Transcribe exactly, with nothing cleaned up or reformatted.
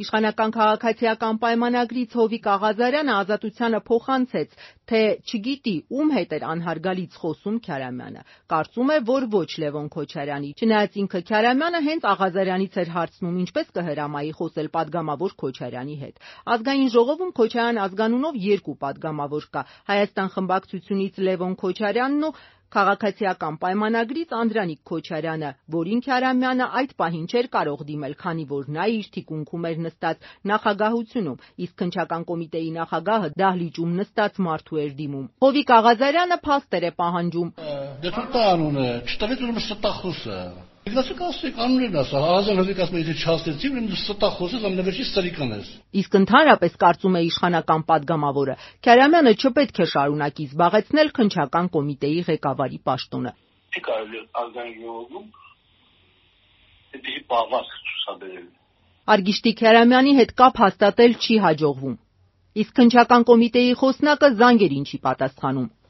Իշխանական քաղաքացիական պայմանագրից Հովիկ Աղազարյանը Ազատությանը փոխանցեց, թե չգիտի ում հետ էր անհարգալից խոսում Քյարամյանը, կարծում է, որ ոչ Լևոն Քոչարյանի, չնայած ինքը Քյարամյանը հենց Աղազարյանից էր հարցնում, ինչպես կհրամայի խոսել պատգամավոր Քոչարյանի հետ։ Ազգային ժողովում Քոչարյան ազգանունով երկու պատգամավոր կա՝ Հայաստան խմբակցությունից Լևոն Քոչարյանն ու քաղաքացիական պայմանագրից Անդրանիկ Քոչարյանը, որին Քյարամյանը այդ պահին չէր կարող դիմել, քանի որ նա իր թիկունքում էր նստած նախագահությունում, իսկ քննչական կոմիտեի նախագահը դահլիճում նստած մարդու էր դիմում։ Հովիկ Աղազարյանը փաստեր է պահանջում։ Դե թող անունը, չտվեց ուրեմն ստախոսը։ Գնացեք ասեք, անուններն ասա, Աղազարյանը ասեք, եթե չհասնեցի, ուրեմն ստախոսը ամենավերջի սրիկան ես։ Իսկ ընդհանրապես կարծում է իշխանական պատգամավորը, Քյարամյանը չպետք է շարունակի զբաղեցնել քննչական կոմիտեի ղեկավարի պաշտոնը։ Չի կարելի ազգային ժողովում այդպիսի պահվածք ցուցաբերել։ Արգիշտի Քյարամյանի հետ կապ հաստատել չի հաջողվում։ Իսկ քննչական կոմիտեի խոսնակը զանգերին չի պատասխանում։